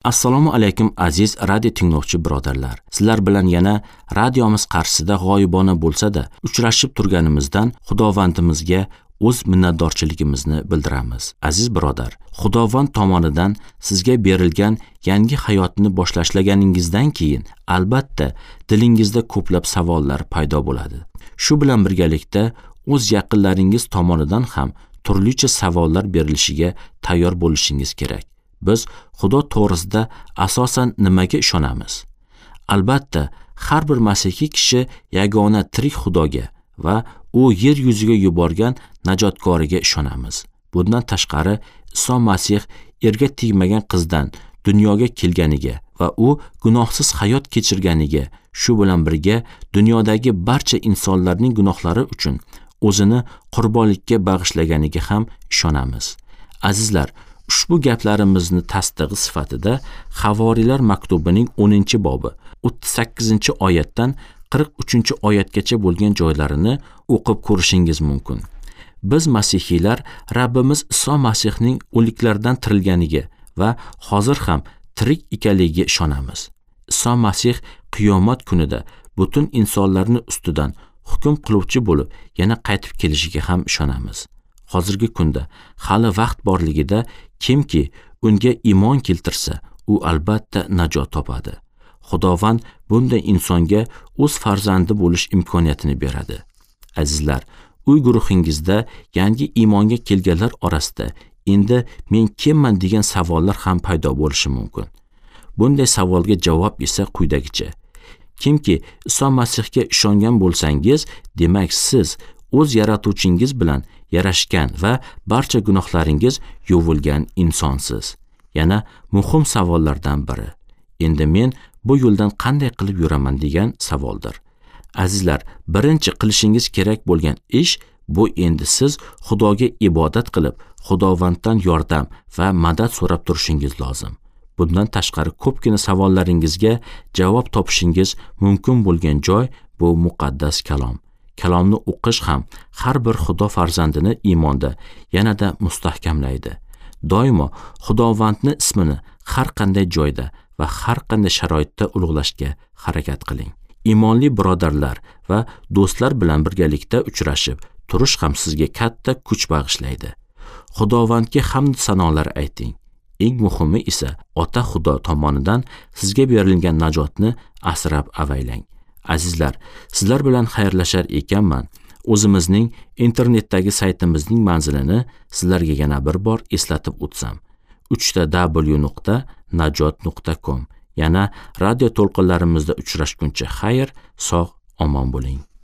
Assalomu alaykum aziz radio tinglovchi birodarlar. Sizlar bilan yana radiomiz qarshisida g'oyibona bo'lsa-da uchrashib turganimizdan Xudovandimizga o'z minnatdorchiligimizni bildiramiz. Aziz birodar, Xudovand tomonidan sizga berilgan yangi hayotni boshlaganingizdan keyin albatta dilingizda ko'plab savollar paydo bo'ladi. Shu bilan birgalikda o'z yaqinlaringiz tomonidan ham turlicha savollar berilishiga tayyor bo'lishingiz kerak. Biz Xudo to'g'risida asosan nimaga ishonamiz? Albatta, har bir masihiy kishi yagona tirik Xudoga va u yer yuziga yuborgan najotkoriga ishonamiz. Bundan tashqari, Iso Masih erga tegmagan qizdan dunyoga kelganiga va u gunohsiz hayot kechirganiga, shu bilan birga dunyodagi barcha insonlarning gunohlari uchun o'zini qurbonlikka bag'ishlaganiga ham ishonamiz. Azizlar, ushbu gaplarimizni tasdig'i sifatida Havoriylar maktubining 10-bobi 38-oyatdan 43-oyatgacha bo'lgan joylarini o'qib ko'rishingiz mumkin. Biz masihiylar Rabbimiz Iso Masihning o'liklardan tirilganiga va hozir ham tirik ekanligiga ishonamiz. Iso Masih qiyomat kunida butun insonlarni ustidan hukm qiluvchi bo'lib yana qaytib kelishiga ham ishonamiz. Hozirgi kunda hali vaqt borligida kimki unga iymon keltirsa, u albatta najot topadi. Xudovand bunday insonga o'z farzandi bo'lish imkoniyatini beradi. Azizlar, uy guruhingizda yangi iymonga kelganlar orasida endi men kimman degan savollar ham paydo bo'lishi mumkin. Bunday savolga javob esa quyidagicha. Kimki Iso Masihga ishongan bo'lsangiz, demak siz o'z yaratuvchingiz bilan yarashgan va barcha gunohlaringiz yuvilgan insonsiz. Yana muhim savollardan biri. Endi men bu yo'ldan qanday qilib yuraman degan savoldir. Azizlar, birinchi qilishingiz kerak bo'lgan ish bu endi siz Xudoga ibodat qilib, Xudovanddan yordam va madad so'rab turishingiz lozim. Bundan tashqari ko'pgina savollaringizga javob topishingiz mumkin bo'lgan joy bu muqaddas kalom. Kalomni o'qish ham har bir Xudo farzandini iymonda yanada mustahkamlaydi. Doimo Xudovandning ismini har qanday joyda va har qanday sharoitda ulug'lashga harakat qiling. Iymonli birodarlar va do'stlar bilan birgalikda uchrashib turish ham sizga katta kuch bag'ishlaydi. Xudovandga hamd sanolar ayting. Eng muhimi esa Ota Xudo tomonidan sizga berilgan najotni asrab avaylang. Azizlar, sizlar bilan xayrlashar ekanman, o'zimizning internetdagi saytimizning manzilini sizlarga yana bir bor eslatib o'tsam. www.najot.com. Yana radio to'lqinlarimizda uchrashguncha xayr, sog', omon bo'ling.